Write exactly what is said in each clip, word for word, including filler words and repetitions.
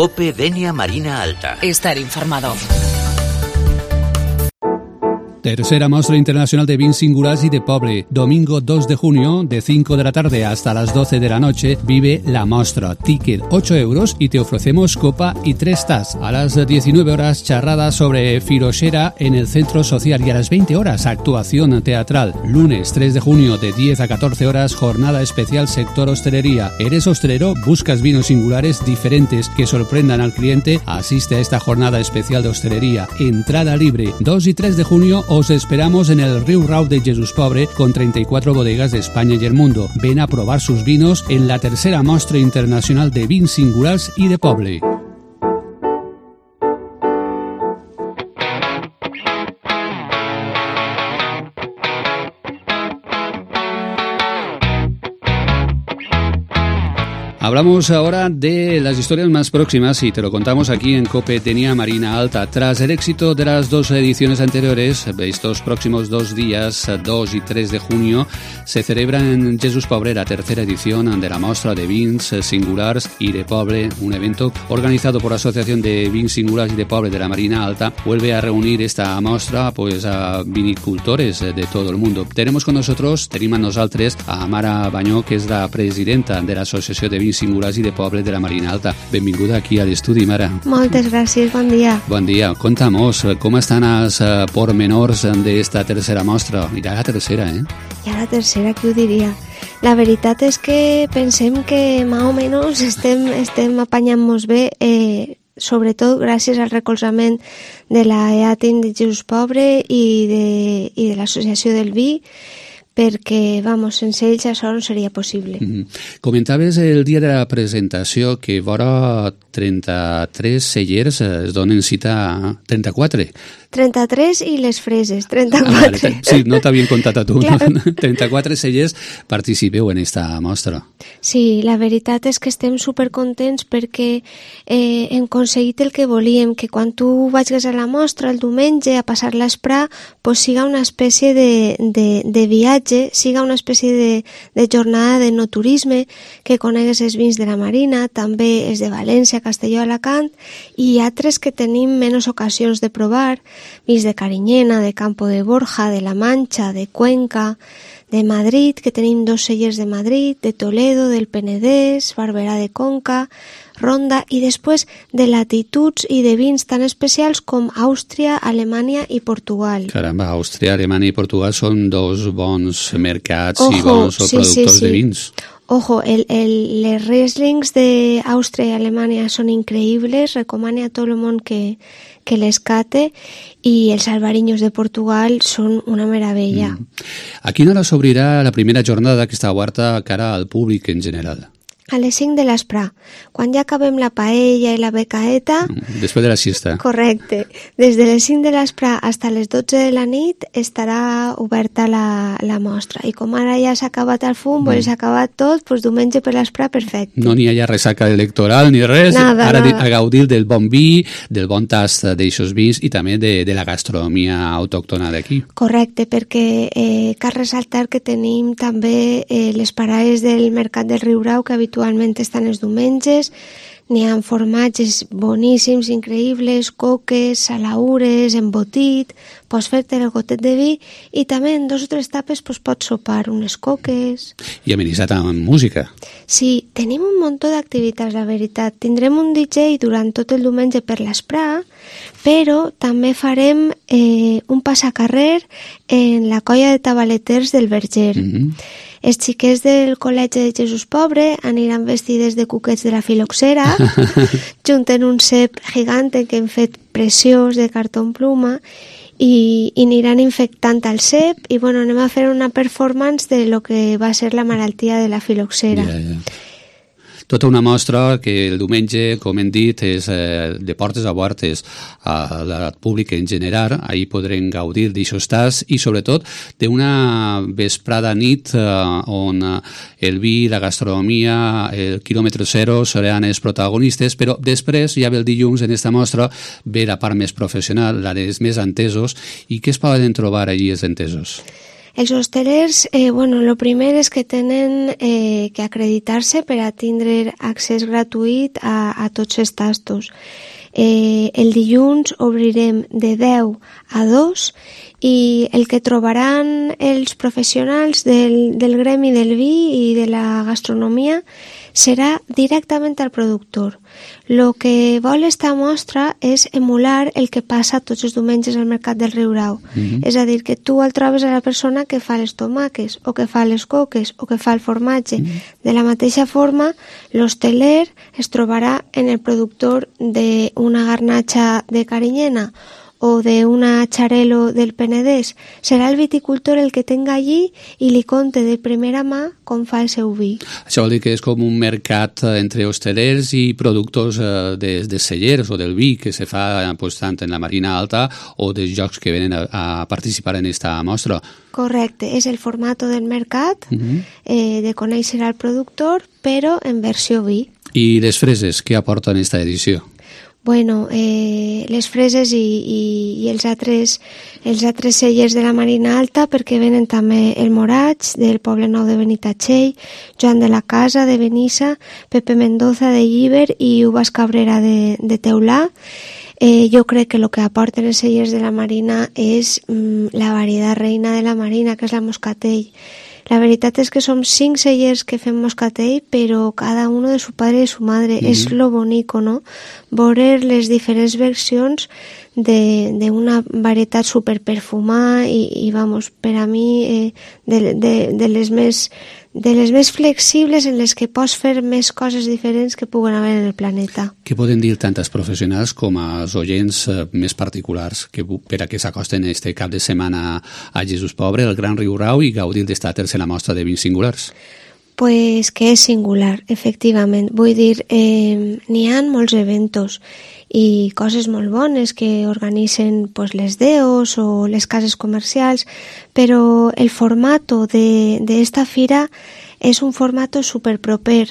COPE Denia Marina Alta. Estar informado. Tercera Mostra Internacional de Vins Singulars y de Poble. Domingo dos de junio, de cinco de la tarde hasta las doce de la noche, vive la mostra. Ticket ocho euros y te ofrecemos copa y tres tas. A las diecinueve horas, charrada sobre filoxera en el Centro Social, y a las veinte horas, actuación teatral. Lunes tres de junio, de diez a catorce horas, jornada especial sector hostelería. ¿Eres hostelero? ¿Buscas vinos singulares diferentes que sorprendan al cliente? Asiste a esta jornada especial de hostelería. Entrada libre. dos y tres de junio, os esperamos en el Riu Rau de Jesús Pobre, con treinta y cuatro bodegas de España y el mundo. Ven a probar sus vinos en la tercera Mostra Internacional de Vins Singulars y de Poble. Hablamos ahora de las historias más próximas y te lo contamos aquí en COPE Denia Marina Alta. Tras el éxito de las dos ediciones anteriores, estos próximos dos días, dos y tres de junio, se celebra en Jesús Pobre la tercera edición de la Mostra de Vins Singulars y de Poble, un evento organizado por la Asociación de Vins Singulars y de Poble de la Marina Alta. Vuelve a reunir esta mostra pues a vinicultores de todo el mundo. Tenemos con nosotros, tenim amb nosaltres, a Mara Banyó, que és la presidenta de l'Associació de Vins Singulars i de Poble de la Marina Alta. Benvinguda aquí a l'estudi, Mara. Moltes gràcies, bon dia. Bon dia. Contamos, com estan els uh, pormenors d'esta tercera mostra? Ja la tercera, eh? Ja la tercera, qui ho diria? La veritat és que pensem que més o menys estem, estem apanyant-nos bé, eh, sobretot gràcies al recolzament de la E A T I N de Jesús Pobre i de, i de l'Associació del Vi, perquè, vamos, sense ells això no seria possible. Mm-hmm. Comentaves el dia de la presentació que vora trenta-tres cellers es donen cita a trenta-quatre. trenta-tres i les freses, trenta-quatre. Ah, vale. Sí, no t'havien contat a tu. Claro. No? trenta-quatre cellers participeu en esta mostra. Sí, la veritat és que estem supercontents perquè eh, hem aconseguit el que volíem, que quan tu vagis a la mostra el diumenge a passar l'esprà, pues siga una espècie de, de, de viatge, siga una espècie de, de jornada de no turisme, que conegues els vins de la Marina, també els de València, Castelló, Alacant, i altres que tenim menys ocasions de provar, vins de Carinyena, de Campo de Borja, de La Manxa, de Cuenca, de Madrid, que tenim dos cellers de Madrid, de Toledo, del Penedès, Barberà de Conca, Ronda, i després de latituds i de vins tan especials com Àustria, Alemanya i Portugal. Caramba, Àustria, Alemanya i Portugal són dos bons mercats. Ojo, i bons sí, productors sí, sí. de vins. Ojo, el, el, les Rieslings d'Àustria i Alemanya són increïbles, recomano a tot el món que, que les cate, i els albariños de Portugal són una meravella. Mm. A quina hora s'obrirà la primera jornada que està oberta cara al públic en general? A les cinc de l'esprà, quan ja acabem la paella i la becaeta... Després de la siesta. Correcte. Des de les cinc de l'esprà fins a les dotze de la nit estarà oberta la, la mostra. I com ara ja s'ha acabat el fum, mm. s'ha acabat tot, doncs diumenge per l'esprà, perfecte. No n'hi ha ja ressaca electoral ni res. Nada, ara nada. A gaudir del bon vi, del bon tast d'eixos vins i també de, de la gastronomia autòctona d'aquí. Correcte, perquè eh, cal ressaltar que tenim també eh, les parades del Mercat del Riu Rau, que habitualment Actualment estan els diumenges, n'hi ha formatges boníssims, increïbles, coques, salaures, embotit, pots fer-te el gotet de vi i també en dos o tres tapes pues, pots sopar unes coques. I amenitzat amb música. Sí, tenim un munt d'activitats, la veritat. Tindrem un D J durant tot el diumenge per l'esprà, però també farem eh, un passacarrer en la colla de tabaleters del Verger. Mm-hmm. Els xiquets del Col·legi de Jesús Pobre aniran vestides de cuquets de la filoxera, junten un cep gegante que hem fet preciós de cartó pluma i, i aniran infectant el cep i bueno, anem a fer una performance de lo que va ser la malaltia de la filoxera. Yeah, yeah. Tota una mostra que el diumenge, com hem dit, és eh, de portes a portes al públic en general. Ahir podrem gaudir d'aixòs tasts i, sobretot, d'una vesprada nit eh, on el vi, la gastronomia, el quilòmetre zero seran els protagonistes, però després, ja ve el dilluns, en aquesta mostra, ve la part més professional, la dels més entesos. I què es poden trobar allí els entesos? Els hostelers, eh, bueno, lo primer és que tenen eh, que acreditar-se per a tindre accés gratuït a, a tots els tastos. Eh, el dilluns obrirem de deu a dos i el que trobaran els professionals del, del gremi del vi i de la gastronomia serà directament al productor. Lo que vol esta mostra és emular el que passa tots els diumenges al mercat del Riurau. Mm-hmm. És a dir, que tu el trobes a la persona que fa les tomaques o que fa les coques o que fa el formatge. Mm-hmm. De la mateixa forma, l'hosteler es trobarà en el productor d'una garnatxa de Carinyena o de una Xarel·lo del Penedès. Serà el viticultor el que tenga allí i li conte de primera mà com fa el seu vi. Això vol dir que és com un mercat entre hostelers i productors de, de cellers o del vi que se fa pues, tant en la Marina Alta o dels jocs que venen a, a participar en esta mostra. Correcte, és el format del mercat, uh-huh. eh, de conèixer al productor, però en versió vi. I les freses, què aporten esta edició? Bueno, eh, les freses i, i, i els, altres, els altres cellers de la Marina Alta, perquè venen també el Moraig, del Poble Nou de Benitatxell, Joan de la Casa, de Benissa, Pepe Mendoza, de Llíber, i Uvas Cabrera, de, de Teulà. Eh, jo crec que el que aporten els cellers de la Marina és mm, la varietat reina de la Marina, que és la Moscatell. La veritat és que som cinc cellers que fem moscatell, però cada uno de su padre i su madre. Mm-hmm. És lo bonico, no? Veure les diferents versions d'una varietat superperfumada i, i vamos, per a mi, eh, de, de, de les més de les més flexibles en les que pots fer més coses diferents que puguen haver en el planeta. Què poden dir tant els professionals com els oients eh, més particulars que, per a que s'acosten este cap de setmana a Jesús Pobre, el Gran Riurau, i gaudir d'esta tercera mostra de vins singulars? Pues que és singular, efectivament. Vull dir, eh, n'hi ha molts eventos i coses molt bones que organitzen pues, les D E Os o les cases comercials, però el formato d'esta fira és un formato superproper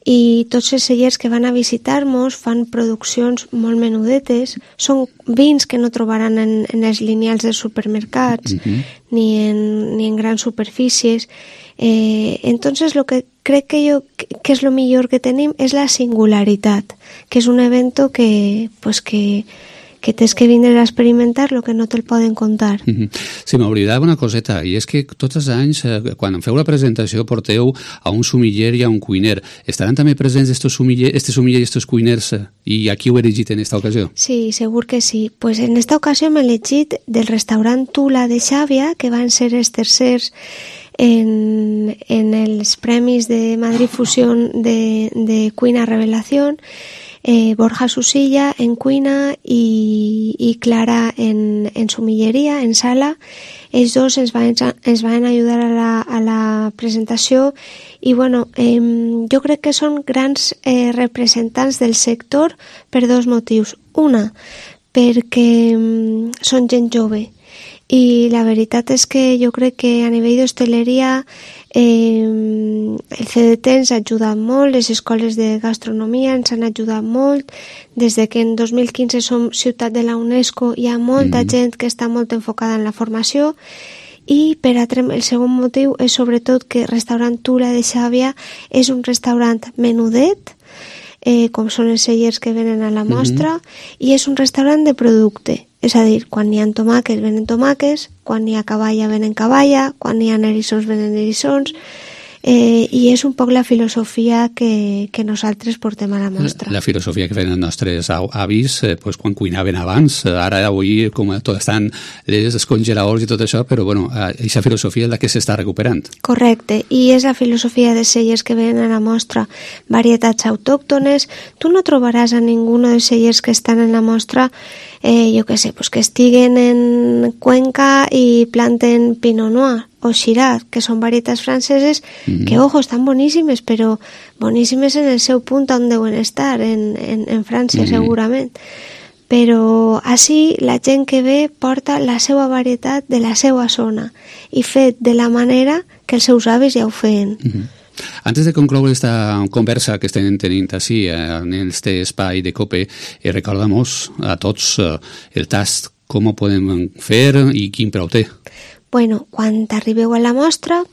i tots els cellers que van a visitar-nos fan produccions molt menudetes, són vins que no trobaran en, en els lineals dels supermercats, uh-huh. ni, en, ni en grans superfícies. Eh, entonces lo que crec que yo que es lo millor que tenim és la singularitat, que és un evento que pues que que tens que vindre a experimentar lo que no te'l poden contar. Mm-hmm. Sí, m'oblidava una coseta, i és que tots els anys, eh, quan feu la presentació, porteu a un sumiller i a un cuiner. Estaran també presents estos sumiller, este sumiller i estos cuiners, i aquí ho he elegit en esta ocasió? Sí, segur que sí. Pues en esta ocasió m'he elegit del restaurant Tula de Xàbia, que van ser els tercers en, en els premis de Madrid Fusión de, de Cuina Revelación, eh, Borja Susilla en cuina i, i Clara en, en sumilleria, en sala. Ells dos ens van, ens van ajudar a la, a la presentació i bueno, eh, jo crec que són grans eh, representants del sector per dos motius. Una, perquè eh, són gent jove i la veritat és que jo crec que a nivell d'hostaleria eh, el C D T ens ha ajudat molt, les escoles de gastronomia ens han ajudat molt. Des de que en dos mil quinze som ciutat de la UNESCO hi ha molta mm. gent que està molt enfocada en la formació. I per altre, el segon motiu és sobretot que Restaurant Tula de Xàbia és un restaurant menudet, eh, com són els cellers que venen a la mostra, mm-hmm. i és un restaurant de producte. És a dir, quan hi ha tomàquets venen tomàquets, quan hi ha cavalla venen cavalla, quan hi ha erissons venen erissons, eh, i és un poc la filosofia que, que nosaltres portem a la mostra. La, la filosofia que feien els nostres avis eh, pues, quan cuinaven abans, ara avui com tot estan els congeladors i tot això, però bueno, aquesta filosofia és la que s'està recuperant. Correcte, i és la filosofia de cellers que venen a la mostra, varietats autòctones. Tu no trobaràs a ningú dels cellers que estan en la mostra Eh, jo què sé, pues que estiguen en Cuenca i planten Pinot Noir o Shiraz, que són varietats franceses mm-hmm. que, ojo, estan boníssimes, però boníssimes en el seu punt on deuen estar, en, en, en França, mm-hmm. segurament. Però així la gent que ve porta la seva varietat de la seva zona i fet de la manera que els seus avis ja ho feien. Mm-hmm. Antes de concloure esta conversa que estem tenint així en este espai de COPE, eh, recordamos a tots eh, el tast, com ho podem fer i quin preu té. Bueno, quan arribeu a la mostra,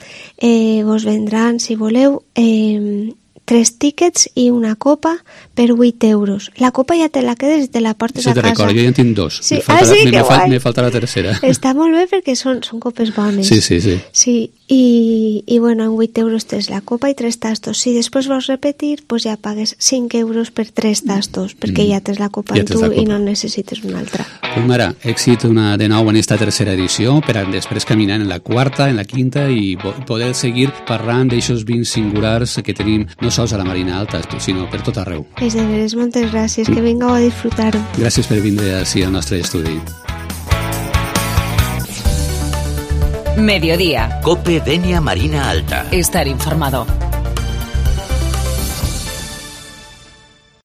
eh, vos vendran, si voleu, eh, tres tíquets i una copa per vuit euros. La copa ja te la quedes i te la portes sí, a casa. Sí, te recordo, jo ja en tinc dos. Sí. Me falta, ah, sí, me, que me, guai. me falta la tercera. Està molt bé perquè són, són copes bones. Sí, sí, sí. Sí, i, i bueno, en vuit euros tens la copa i tres tastos. Si després vols repetir, pues ja pagues cinc euros per tres tastos, perquè mm. ja tens la copa ja en tu copa. I no necessites una altra. Pues mare, èxit una, de nou en esta tercera edició, per a després caminar en la quarta, en la quinta i poder seguir parlant d'aixòs vins singulars que tenim no sols a la Marina Alta, sinó per tot arreu. És de veres, moltes gràcies, que vingueu a disfrutar-ho. Gràcies per vindre així al nostre estudi. Mediodía. Cope Denia Marina Alta. Estar informado.